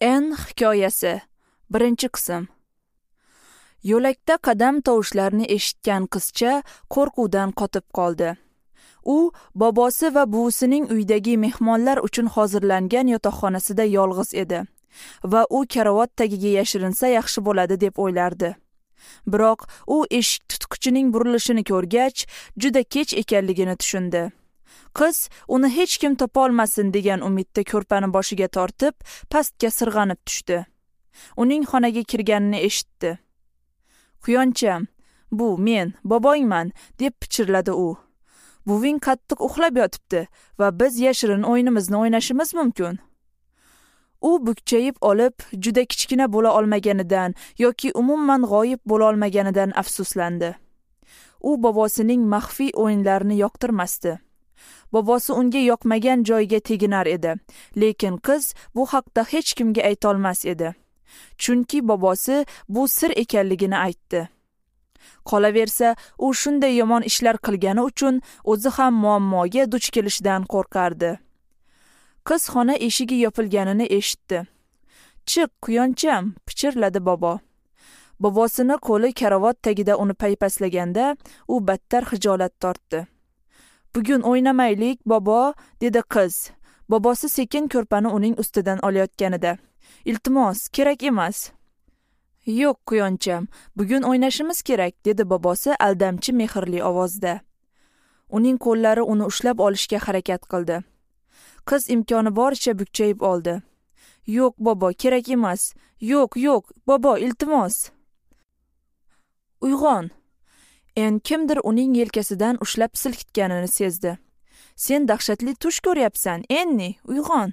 N hikoyasi 1-qism. Yo'lakda qadam tovushlarini eshitgan qizcha qo'rquvdan qotib qoldi. U bobosi va buvisining uydagi mehmonlar uchun hozirlangan yotoqxonasida yolg'iz edi va u karavot tagiga yashirinsa yaxshi bo'ladi deb o'ylardi. Biroq u eshik tutqichining burilishini ko'rgach, juda kech ekanligini tushundi. Qiz uni hech kim topa olmasin degan umidda ko'rpani boshiga tortib, pastga sirg'anib tushdi. Uning xonaga kirganini eshitdi. "Quyoncham, bu men, bobongman", deb pichirladi u. "Buving qattiq uxlab yotibdi va biz yashirin o'yinimizni o'ynashimiz mumkin." U bukchayib olib, juda kichkina bo'la olmaganidan yoki umuman g'oyib bo'la olmaganidan afsuslandi. U bobosining maxfiy o'yinlarini yoqtirmasdi. Bobosi unga yoqmagan joyga teginar edi, lekin qiz bu haqda hech kimga ayta olmas edi. Chunki bobosi bu sir ekanligini aytdi. Qolaversa, u shunday yomon ishlar qilgani uchun o'zi ham muammoga duch kelishidan qo'rqardi. Qiz xona eshigi yopilganini eshitdi. "Chiq, quyoncham", pichirladi bobo. Bobosini qo'li karavot tagida uni paypaslaganda, u battar xijolat tortdi. "Bugun o'ynamaylik, bobo", dedi qiz. Bobosi sekin ko'rpani uning ustidan olayotganida. "Iltimos, kerak emas." "Yo'q, quyoncham, bugun o'ynashimiz kerak", dedi bobosi aldamchi mehrli ovozda. Uning qo'llari uni ushlab olishga harakat qildi. Qiz imkoni boricha bukchayib oldi. "Yo'q, bobo, kerak emas. Yo'q, yo'q, bobo, iltimos." "Uyg'on." En kimdir uning yelkasidan ushlab silkitganini sezdi. "Sen dahshatli tush ko'ryapsan, Enni, uyg'on."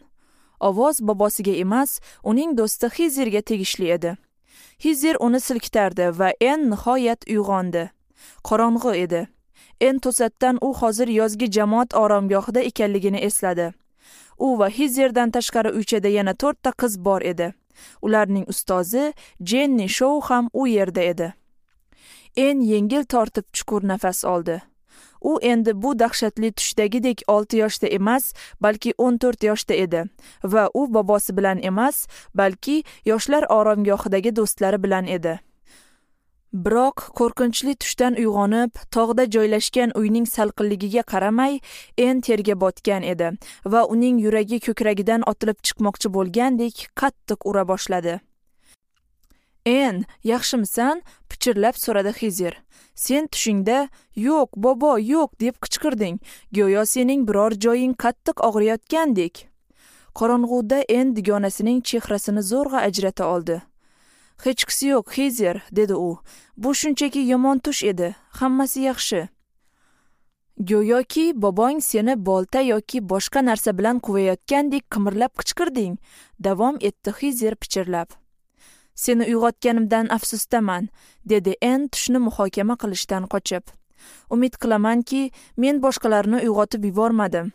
Ovoz bobosiga emas, uning do'sti Xizerga tegishli edi. Xizer uni silkitardi va En nihoyat uyg'ondi. Qorong'i edi. En to'satdan u hozir yozgi jamoat oromgohida ekanligini esladi. U va Xizerdan tashqari uychada yana 4 ta qiz bor edi. Ularning ustozi Jenni Shou ham u yerda edi. En yengil tortib chuqur nafas oldi. U endi bu dahshatli tushdagidek 6 yoshda emas, balki 14 yoshda edi va u bobosi bilan emas, balki yoshlar oromgohidagi do'stlari bilan edi. Biroq qo'rqinchli tushdan uyg'onib, tog'da joylashgan uyning salqinligiga qaramay, En terga botgan edi va uning yuragi ko'kragidan otilib chiqmoqchi bo'lgandek qattiq ura boshladi. "En, yaxshimisan?" pichirlab so'radi Xizer. "Sen tushingda 'Yo'q, bobo, yo'q' deb qichqirding. Go'yo sening biror joying qattiq og'riyotgandek." Qorong'uda En dugonasining chehrasini zo'rg'a ajrata oldi. "Hechqisi yo'q, Xizer", dedi u. "Bu shunchaki yomon tush edi. Hammasi yaxshi." "Go'yoki bobong seni bolta yoki boshqa narsa bilan quvayotgandek qimirlab qichqirding", davom etdi Xizer pichirlab. "Seni uyg'otganimdan afsusdaman", dedi En tushni muhokama qilishdan qochib. "Umid qilamanki, men boshqalarni uyg'otib yubormadim."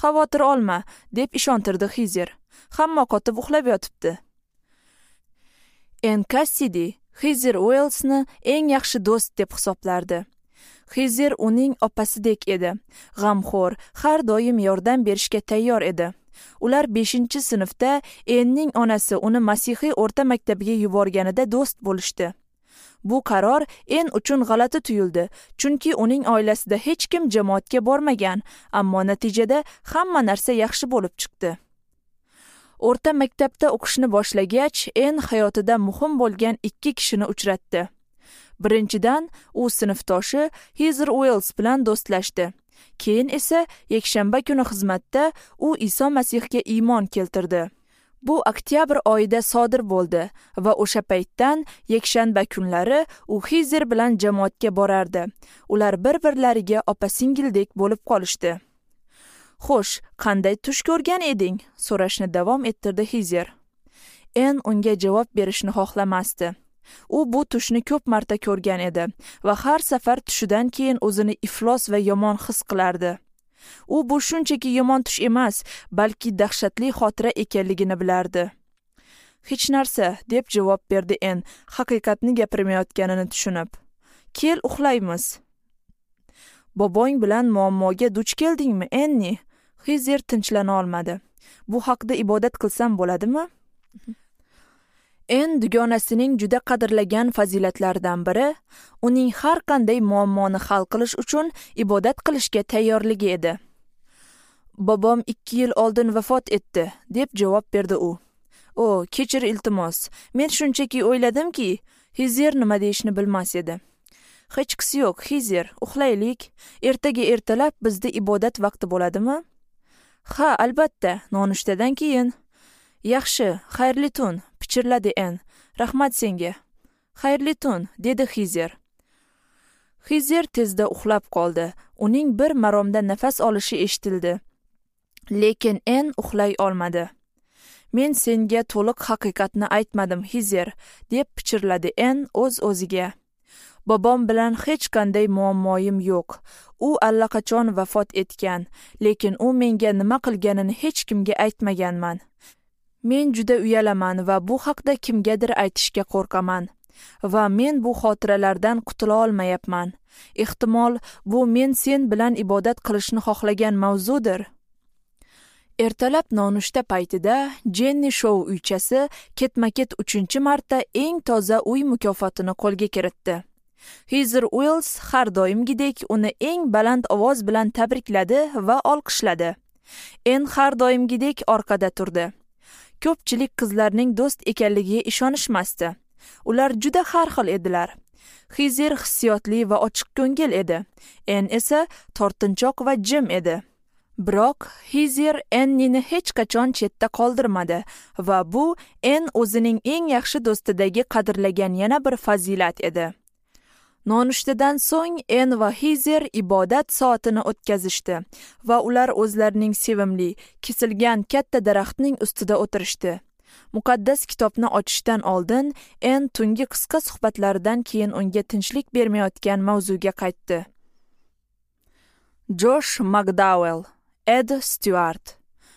"Xavotir olma", deb ishontirdi Xizer. "Hamma qotib uxlab yotibdi." En Cassidy Xizer Uellsni eng yaxshi do'st deb hisoblardi. Xizer uning opasidek edi. G'amxo'r, har doim yordam berishga tayyor edi. Ular 5-sinfda Enning onasi uni masihiy o'rta maktabiga yuborganida do'st bo'lishdi. Bu qaror En uchun g'alati tuyuldi, chunki uning oilasida hech kim jamoatga bormagan, ammo natijada hamma narsa yaxshi bo'lib chiqdi. O'rta maktabda o'qishni boshlagach, En hayotida muhim bo'lgan 2 kishini uchratdi. Birinchidan, u sinfdoshi Xizer Uells bilan do'stlashdi. Keyin esa yakshanba kuni xizmatda u Iso Masihga iymon keltirdi. Bu oktyabr oyida sodir bo'ldi va o'sha paytdan yakshanba kunlari u Xizer bilan jamoatga borardi. Ular bir-birlariga opa-singildek bo'lib qolishdi. "Xo'sh, qanday tush ko'rgan eding?" so'rashni davom ettirdi Xizer. En unga javob berishni xohlamasdi. U bu tushni ko'p marta ko'rgan edi va har safar tushidan keyin o'zini iflos va yomon his qilardi. U bu shunchaki yomon tush emas, balki dahshatli xotira ekanligini bilardi. "Hech narsa", deb javob berdi En, haqiqatni gapirmayotganini tushunib. "Kel, uxlaymiz." "Bobong bilan muammoga duch keldingmi, Enni?" Xizer tinchlana olmadi. "Bu haqda ibodat qilsam bo'ladimi?" En dugonasining juda qadrlagan fazilatlaridan biri uning har qanday muammoni hal qilish uchun ibodat qilishga tayyorligi edi. Bobom 2 yil oldin vafot etdi, deb javob berdi u. O, kechir iltimos. Men shunchaki o'yladimki, Hizer nima deyishni bilmas edi. Hechqisi yo'q, Hizer, uxlaylik. Ertaga ertalab bizda ibodat vaqti bo'ladimi? Ha, albatta, nonushtadan keyin. Yaxshi, xayrli tun, pichirladi En. Rahmat senga. Xayrli tun, dedi Hizer. Hizer tezda uxlab qoldi. Uning bir maromda nafas olishi eshitildi. Lekin En uxlay olmadi. Men senga to'liq haqiqatni aytmadim, Hizer, deb pichirladi En o'z-o'ziga. Bobom bilan hech qanday muammoyim yo'q. U allaqachon vafot etgan, lekin u menga nima qilganini hech kimga aytmaganman. Men juda uyalaman va bu haqda kimgadir aytishga qo'rqaman. Va men bu xotiralardan qutula olmayapman. Ehtimol, bu men sen bilan ibodat qilishni xohlagan mavzudir. Ertalab nonushta paytida Jenni Shou uychasi ketma-ket 3-marta eng toza uy mukofotini qo'lga kiritdi. Hizer Uells har doimgidek uni eng baland ovoz bilan tabrikladi va olqishladi. En har doimgidek orqada turdi. Ko'pchilik qizlarning do'st ekanligiga ishonishmasdi. Ular juda har xil edilar. Hizer hissiyotli va ochiqko'ngil edi. En esa tortinchoq va jim edi. Biroq Hizer Ennini hech qachon chetda qoldirmadi va bu En o'zining eng yaxshi do'stidagi qadrlagan yana bir fazilat edi. Nonushtadan so'ng En va Hizer ibodat soatini o'tkazishdi va ular o'zlarining sevimli, kesilgan katta daraxtning ustida o'tirishdi. Muqaddas kitobni ochishdan oldin En tungi qisqa suhbatlaridan keyin unga tinchlik bermayotgan mavzuga qaytdi. Josh McDowell, Ed Stewart.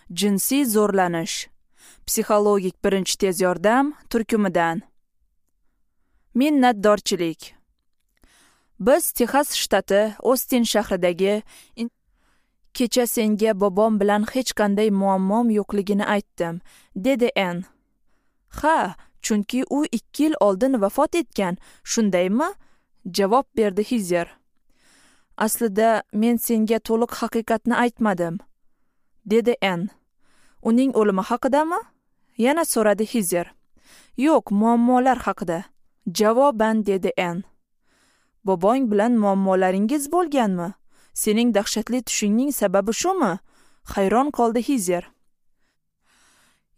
Jinsiy zo'rlanish. Psixologik birinchi tez yordam turkumidan. Minnatdorchilik. Biz Texas shtati Ostin shahridagi kecha senga bobom bilan hech qanday muammom yo'qligini aytdim, dedi En. Ha, chunki u 2 yil oldin vafot etgan, shundaymi? Javob berdi Hizer. Aslida men senga to'liq haqiqatni aytmadim, dedi En. Uning o'limi haqidami? Yana so'radi Hizer. Yo'q, muammolar haqida. Javoban dedi En. Bobong bilan muammolaringiz bo'lganmi? Sening dahshatli tushingning sababi shumi? Hayron qoldi Hizer.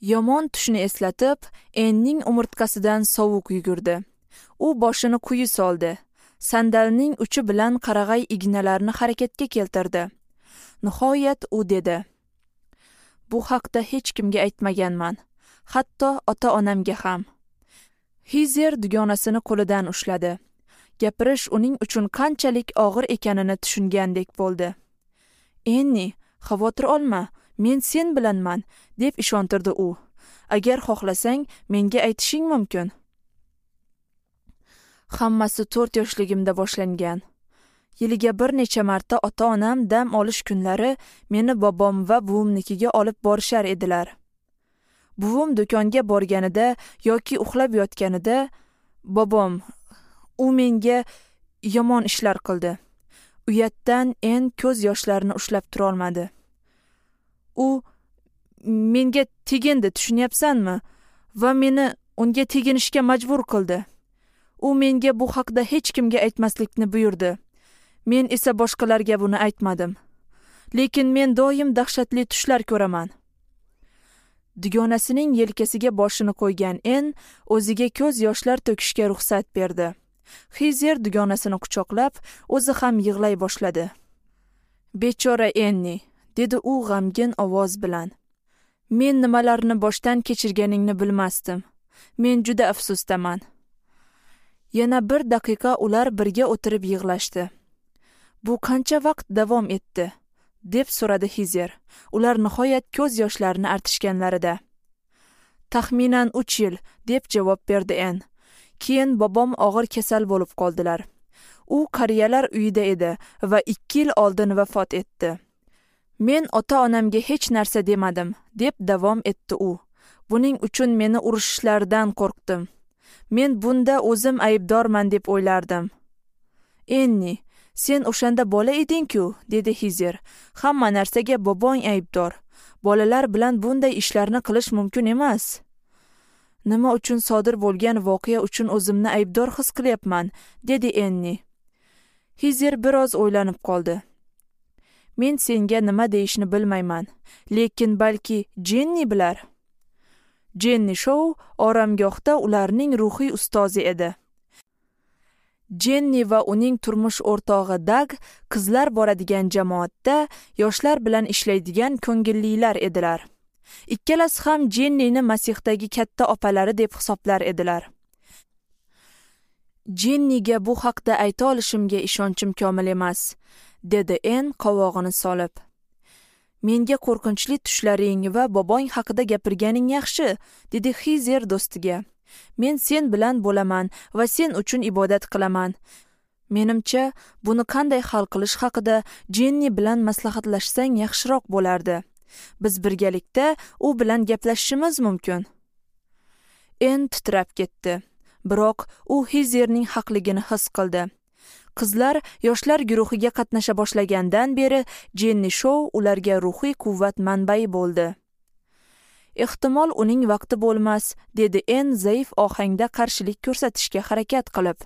Yomon tushni eslatib, Enning umurtqasidan sovuq yugurdi. U boshini quyi soldi. Sandalning uchi bilan qarag'ay ignalarini harakatga keltirdi. Nihoyat u dedi: Bu haqda hech kimga aytmaganman, hatto ota-onamga ham. Hizer dugonasini qo'lidan ushladi. Gapirish uning uchun qanchalik og'ir ekanini tushungandek bo'ldi. Enni, xavotir olma, men sen bilanman, deb ishontirdi u. Agar xohlasang, menga aytishing mumkin. Hammasi 4 yoshligimda boshlangan. Yiliga bir necha marta ota-onam dam olish kunlari meni bobom va buvimnikiga olib borishar edilar. Buvim do'konga borganida yoki uxlab yotganida bobom u menga yomon ishlar qildi. Uyatdan En ko'z yoshlarini ushlab tura olmadi. U menga tegindi, tushunyapsanmi? Va meni unga teginishga majbur qildi. U menga bu haqda hech kimga aytmaslikni buyurdi. Men esa boshqalarga buni aytmadim. Lekin men doim dahshatli tushlar ko'raman. Dugonasining yelkasiga boshini qo'ygan En o'ziga ko'z yoshlar to'kishga ruxsat berdi. Hizer dugonasini quchoqlab, o'zi ham yig'lay boshladi. Bechora Enni, dedi u g'amgin ovoz bilan. Men nimalarni boshdan kechirganingni bilmasdim. Men juda afsusdaman. Yana bir daqiqa ular birga o'tirib yig'lashdi. Bu qancha vaqt davom etdi? Deb so'radi Hizer. Ular nihoyat ko'z yoshlarini artishganlarida. Taxminan 3 yil, deb javob berdi En. Keyin bobom og'ir kasal bo'lib qoldilar. U qariyalar uyida edi va 2 yil oldin vafot etdi. Men ota-onamga hech narsa demadim, deb davom etdi u. Buning uchun meni urishishlaridan qo'rqdim. Men bunda o'zim aybdorman deb o'ylardim. Enni, sen o'shanda bola eding-ku, dedi Hizer. Hamma narsaga bobong aybdor. Bolalar bilan bunday ishlarni qilish mumkin emas. Nima uchun sodir bo'lgan voqea uchun o'zimni aybdor his qilyapman, dedi Enni. Hizer biroz o'ylanib qoldi. Men senga nima deyishni bilmayman, lekin balki Jenni bilar. Jenni Shou oromgohda ularning ruhiy ustozi edi. Jenni va uning turmush o'rtog'i Dag qizlar boradigan jamoatda yoshlar bilan ishlaydigan ko'ngillilar edilar. Ikkalasi ham Jennini Masihdagi katta opalari deb hisoblar edilar. Jenniga bu haqda ayta olishimga ishonchim komil emas, dedi En qovog'ini solib. Menga qo'rqinchli tushlaring va bobong haqida gapirganing yaxshi, dedi Hizer do'stiga. Men sen bilan bo'laman va sen uchun ibodat qilaman. Menimcha, buni qanday hal qilish haqida Jenni bilan maslahatlashsang yaxshiroq bo'lardi. Biz birgalikda u bilan gaplashishimiz mumkin. En titrab ketdi. Biroq u Hizerning haqligini his qildi. Qizlar yoshlar guruhiga qatnasha boshlagandan beri Jenni Shou ularga ruhiy quvvat manbai bo'ldi. Ehtimol uning vaqti bo'lmas, dedi En zaif ohangda qarshilik ko'rsatishga harakat qilib.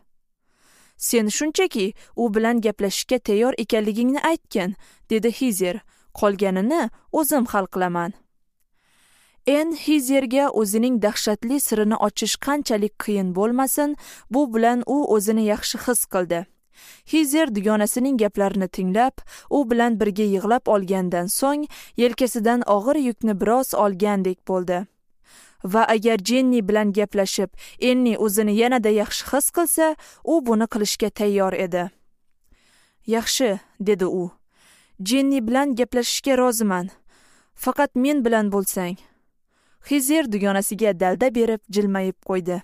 Sen shunchaki u bilan gaplashishga tayyor ekanligingni aytgin, dedi Hizer. Qolganini o'zim hal qilaman. En Hizerga o'zining dahshatli sirini ochish qanchalik qiyin bo'lmasin, bu bilan u o'zini yaxshi his qildi. Hizer dugonasining gaplarini tinglab, u bilan birga yig'lab olgandan so'ng yelkasidan og'ir yukni biroz olgandek bo'ldi. Va agar Jenni bilan gaplashib, Enni o'zini yanada yaxshi his qilsa, u buni qilishga tayyor edi. Yaxshi, dedi u. Jenni bilan gaplashishga roziman. Faqat men bilan bo'lsang. Hizer dugonasiga dalda berib jilmayib qo'ydi.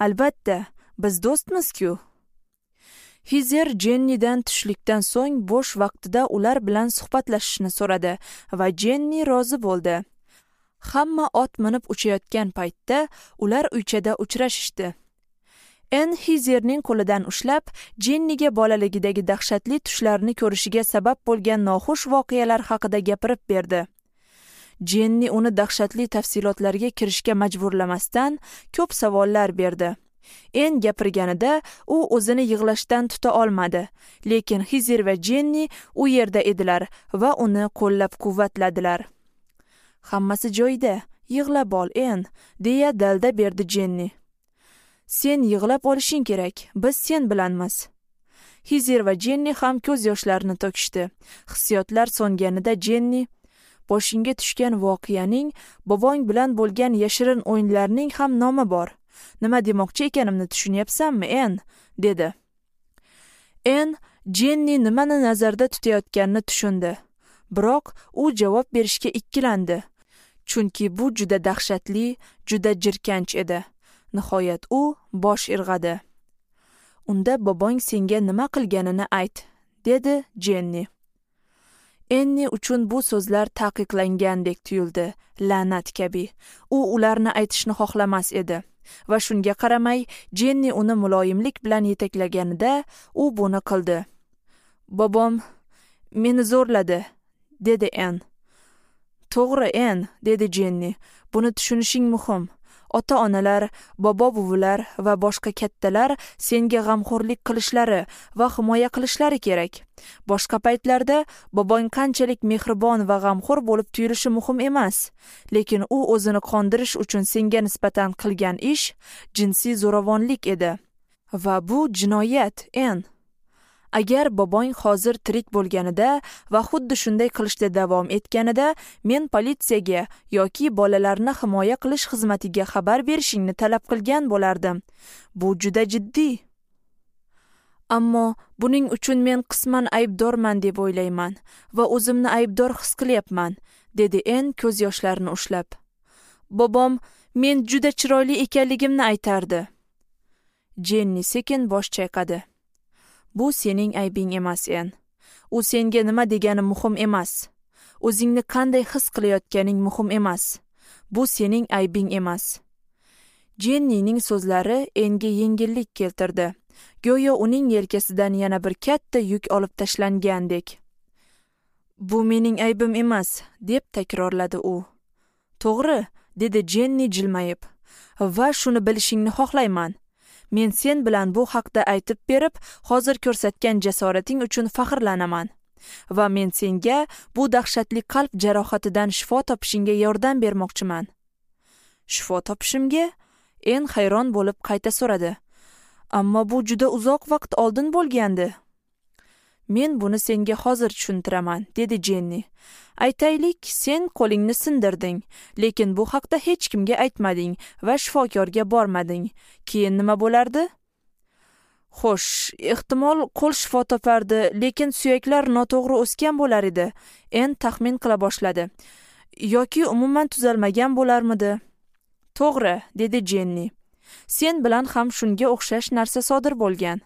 Albatta, biz do'stmiz-ku. Hizer Jennidan tushlikdan so'ng bo'sh vaqtida ular bilan suhbatlashishni so'radi va Jenni rozi bo'ldi. Hamma ot minib uchayotgan paytda ular uychada uchrashishdi. En Hizerning qo'lidan ushlab, Jenniga bolaligidagi dahshatli tushlarni ko'rishiga sabab bo'lgan noxush voqealar haqida gapirib berdi. Jenni uni dahshatli tafsilotlarga kirishga majburlamasdan ko'p savollar berdi. En gapirganida u o'zini yig'lashdan tuta olmadi, lekin Hizer va Jenni u yerda edilar va uni qo'llab-quvvatladilar. Hammasi joyida, yig'lab ol, En, deya dalda berdi Jenni. Sen yig'lab olishing kerak, biz sen bilanmiz. Hizer va Jenni ham ko'z yoshlarini to'kishdi. Hissiyotlar so'nganida Jenni, boshingga tushgan voqeaning, bobong bilan bo'lgan yashirin o'yinlarning ham nomi bor. Nima demoqchi ekanimni tushunyapsanmi, En? dedi. En Jenni nimani nazarda tutayotganini tushundi. Biroq u javob berishga ikkilandi. Chunki bu juda dahshatli, juda jirkanch edi. Nihoyat u bosh irg'adi. Unda bobong senga nima qilganini ayt, dedi Jenni. Enni uchun bu so'zlar taqiqlangandek tuyuldi, la'nat kabi. U ularni aytishni xohlamas edi. Va shunga qaramay, Jenni uni muloyimlik bilan yetaklaganida u buni qildi. Bobom meni zo'rladi, dedi En. To'g'ri, En, dedi Jenni. Buni tushunishing muhim. Ota-onalar, bobo-buvilar va boshqa kattalar senga g'amxo'rlik qilishlari va himoya qilishlari kerak. Boshqa paytlarda bobong qanchalik mehribon va g'amxo'r bo'lib tuyulishi muhim emas, lekin u o'zini qondirish uchun senga nisbatan qilgan ish jinsiy zo'ravonlik edi. Va bu jinoyat, En. Agar bobong hozir tirik bo'lganida va xuddi shunday qilishda davom etganida, men politsiyaga yoki bolalarni himoya qilish xizmatiga xabar berishingni talab qilgan bo'lardim. Bu juda jiddiy. Ammo buning uchun men qisman aybdorman deb o'ylayman va o'zimni aybdor his qilyapman, dedi En ko'z yoshlarini ushlab. Bobom men juda chiroyli ekanligimni aytardi. Jenni sekin bosh chayqadi. Bu sening aybing emas, En. U senga nima degani muhim emas. O'zingni qanday his qilayotganing muhim emas. Bu sening aybing emas. Jennining so'zlari Enga yengillik keltirdi. Go'yo uning yelkasidan yana bir katta yuk olib tashlangandek. Bu mening aybim emas, deb takrorladi u. To'g'ri, dedi Jenni jilmayib. Va shuni bilishingni xohlayman. Men sen bilan bu haqda aytib berib, hozir ko'rsatgan jasorating uchun faxrlanaman. Va men senga bu dahshatli qalb jarohatidan shifo topishingga yordam bermoqchiman. Shifo topishimga? En hayron bo'lib qayta so'radi. Ammo bu juda uzoq vaqt oldin bo'lgandi. Men buni senga hozir tushuntiraman, dedi Jenni. Aytaylik, sen qo'lingni sindirding, lekin bu haqda hech kimga aytmading va shifokorga bormading. Keyin nima bo'lardi? Xo'sh, ehtimol qo'l shifo topardi, lekin suyaklar noto'g'ri o'sgan bo'lar edi. En taxmin qila boshladi. Yoki umuman tuzalmagan bo'larmidi? To'g'ri, dedi Jenni. Sen bilan ham shunga o'xshash narsa sodir bo'lgan.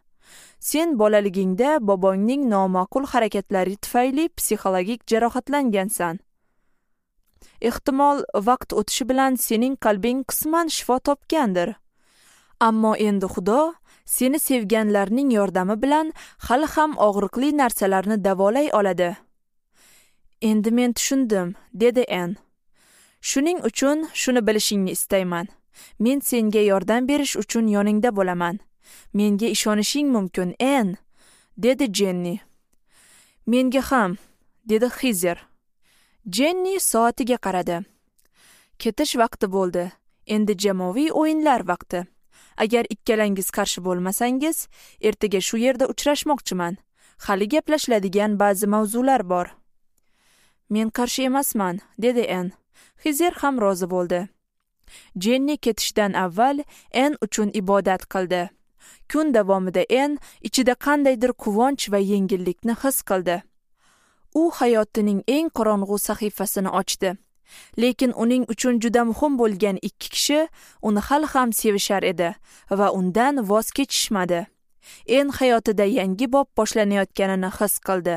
Sen bolaligingda bobongning noma'qul harakatlari tufayli psixologik jarohatlangansan. Ehtimol vaqt o'tishi bilan sening qalbing qisman shifo topgandir. Ammo endi Xudo seni sevganlarning yordami bilan hali ham og'riqli narsalarni davolay oladi. Endi men tushundim, dedi En. Shuning uchun shuni bilishingni istayman. Men senga yordam berish uchun yoningda bo'laman. Menga ishonishing mumkin, En, dedi Jenni. Menga ham, dedi Xizer. Jenni soatiga qaradi. Ketish vaqti bo'ldi. Endi jamoaviy o'yinlar vaqti. Agar ikkalangiz qarshi bo'lmasangiz, ertaga shu yerda uchrashmoqchiman. Hali gaplashiladigan ba'zi mavzular bor. Men qarshi emasman, dedi En. Xizer ham rozi bo'ldi. Jenni ketishdan avval En uchun ibodat qildi. Kun davomida En ichida qandaydir quvonch va yengillikni his qildi. U hayotining eng qorong'u sahifasini ochdi. Lekin uning uchun juda muhim bo'lgan ikki kishi uni hali ham sevishar edi va undan voz kechishmadi. En hayotida yangi bob boshlanayotganini his qildi.